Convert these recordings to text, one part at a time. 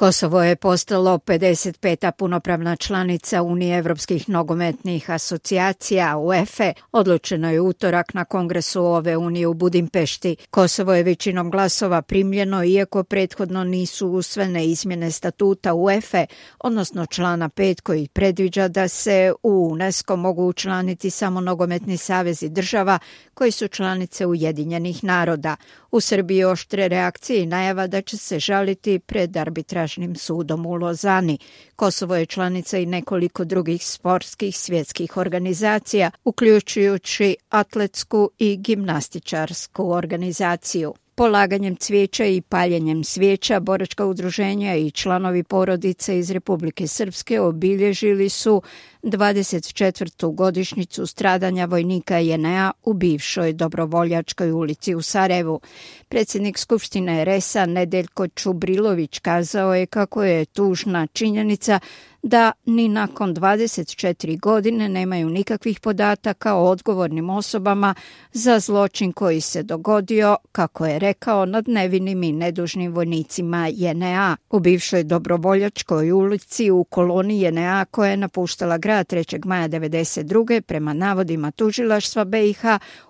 Kosovo je postalo 55. punopravna članica Unije evropskih nogometnih asocijacija UEFA. Odlučeno je utorak na kongresu ove unije u Budimpešti. Kosovo je većinom glasova primljeno iako prethodno nisu usvojene izmjene statuta UEFA, odnosno člana 5 koji predviđa da se u UNESCO mogu učlaniti samo nogometni savezi država koji su članice Ujedinjenih naroda. U Srbiji oštre reakcije i najava da će se žaliti pred arbitražnim sudom u Lozani. Kosovo je članica i nekoliko drugih sportskih svjetskih organizacija, uključujući atletsku i gimnastičarsku organizaciju. Polaganjem cvijeća i paljenjem svijeća boračka udruženja i članovi porodice iz Republike Srpske obilježili su 24. godišnjicu stradanja vojnika JNA u bivšoj Dobrovoljačkoj ulici u Sarajevu. Predsjednik Skupštine RS-a Nedeljko Čubrilović kazao je kako je tužna činjenica da ni nakon 24 godine nemaju nikakvih podataka o odgovornim osobama za zločin koji se dogodio, kako je rekao, nad nevinim i nedužnim vojnicima JNA. U bivšoj Dobrovoljačkoj ulici u koloni JNA koja je napuštala grad 3. maja 1992. prema navodima tužilaštva BiH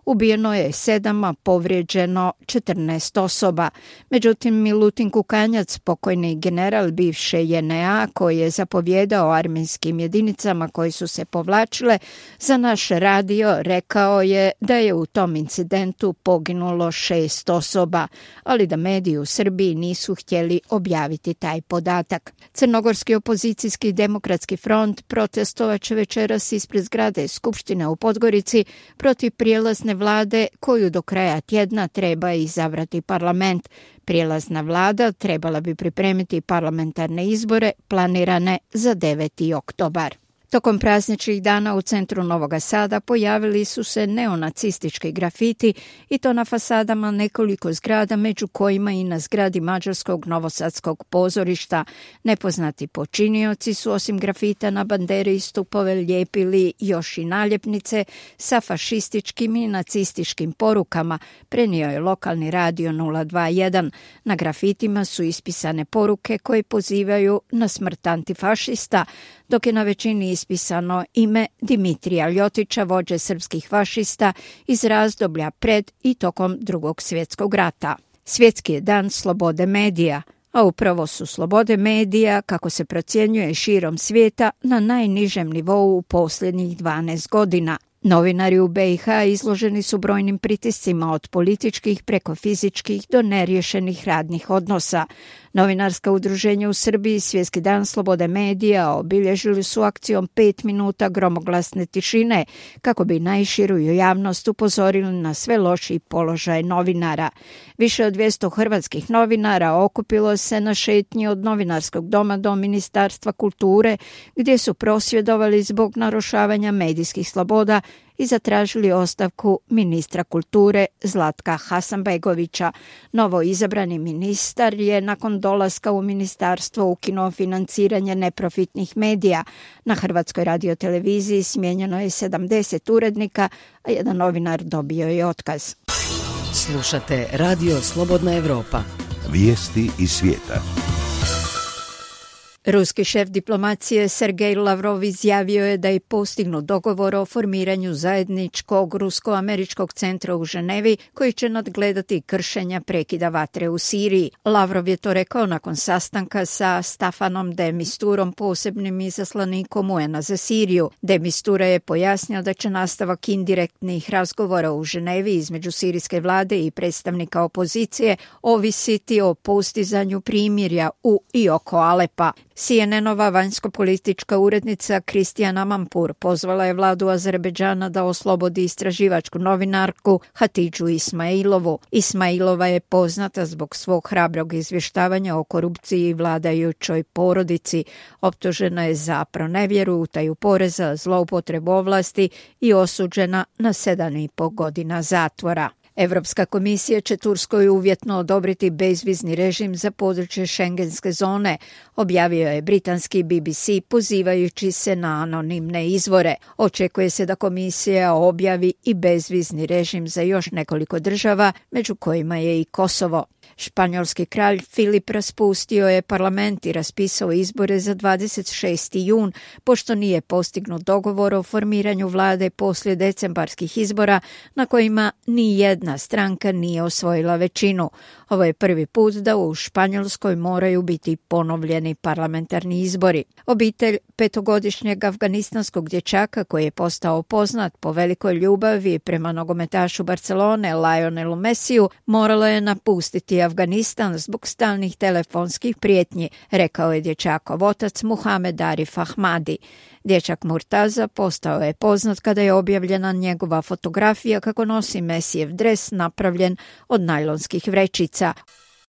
ubijeno je 7, a povrijeđeno 14 osoba. Međutim, Milutin Kukanjac, pokojni general bivše JNA koji je zapovjedao armijskim jedinicama koji su se povlačile, za naš radio rekao je da je u tom incidentu poginulo 6 osoba, ali da mediji u Srbiji nisu htjeli objaviti taj podatak. Crnogorski opozicijski demokratski front protestovat će večeras ispred zgrade Skupštine u Podgorici protiv prijelazne vlade koju do kraja tjedna treba izabrati parlament. Prijelazna vlada trebala bi pripremiti parlamentarne izbore planirane za 9. oktobar. Tokom prazničnih dana u centru Novoga Sada pojavili su se neonacistički grafiti i to na fasadama nekoliko zgrada, među kojima i na zgradi Mađarskog novosadskog pozorišta. Nepoznati počinioci su osim grafita na bandere i stupove lijepili još i naljepnice sa fašističkim i nacističkim porukama, prenio je lokalni radio 021. Na grafitima su ispisane poruke koje pozivaju na smrt antifašista, dok je na većini ispisano ime Dimitrija Ljotića, vođe srpskih fašista iz razdoblja pred i tokom Drugog svjetskog rata. Svjetski je dan slobode medija, a upravo su slobode medija, kako se procjenjuje širom svijeta, na najnižem nivou u posljednjih 12 godina. Novinari u BiH izloženi su brojnim pritiscima od političkih preko fizičkih do neriješenih radnih odnosa. Novinarska udruženja u Srbiji Svjetski dan slobode medija obilježili su akcijom 5 minuta gromoglasne tišine kako bi najširu javnost upozorili na sve lošiji položaj novinara. Više od 200 hrvatskih novinara okupilo se na šetnji od Novinarskog doma do Ministarstva kulture gdje su prosvjedovali zbog narušavanja medijskih sloboda i zatražili ostavku ministra kulture Zlatka Hasanbegovića. Novo izabrani ministar je nakon dolaska u ministarstvo ukinuo financiranje neprofitnih medija. Na Hrvatskoj radioteleviziji smijenjeno je 70 urednika, a jedan novinar dobio je otkaz. Slušate Radio Slobodna Evropa. Vijesti iz svijeta. Ruski šef diplomacije Sergej Lavrov izjavio je da je postignut dogovor o formiranju zajedničkog rusko-američkog centra u Ženevi koji će nadgledati kršenja prekida vatre u Siriji. Lavrov je to rekao nakon sastanka sa Stafanom de Misturom, posebnim izaslanikom UN-a za Siriju. De Mistura je pojasnio da će nastavak indirektnih razgovora u Ženevi između sirijske vlade i predstavnika opozicije ovisiti o postizanju primirja u i oko Alepa. CNN-ova vanjsko-politička urednica Kristijana Mampur pozvala je vladu Azerbejdžana da oslobodi istraživačku novinarku Hatidžu Ismailovu. Ismailova je poznata zbog svog hrabrog izvještavanja o korupciji i vladajućoj porodici. Optužena je za pronevjeru, utaju poreza, zloupotrebu ovlasti i osuđena na 7,5 godina zatvora. Evropska komisija će Turskoj uvjetno odobriti bezvizni režim za područje šengenske zone, objavio je britanski BBC pozivajući se na anonimne izvore. Očekuje se da komisija objavi i bezvizni režim za još nekoliko država, među kojima je i Kosovo. Španjolski kralj Filip raspustio je parlament i raspisao izbore za 26. jun, pošto nije postignut dogovor o formiranju vlade poslije decembarskih izbora na kojima ni jedna stranka nije osvojila većinu. Ovo je prvi put da u Španjolskoj moraju biti ponovljeni parlamentarni izbori. Obitelj petogodišnjeg afganistanskog dječaka koji je postao poznat po velikoj ljubavi prema nogometašu Barcelone Lionelu Messiju moralo je napustiti Afganistan zbog stalnih telefonskih prijetnji, rekao je dječakov otac Muhamed Arif Ahmadi. Dječak Murtaza postao je poznat kada je objavljena njegova fotografija kako nosi Messijev dres napravljen od najlonskih vrećica.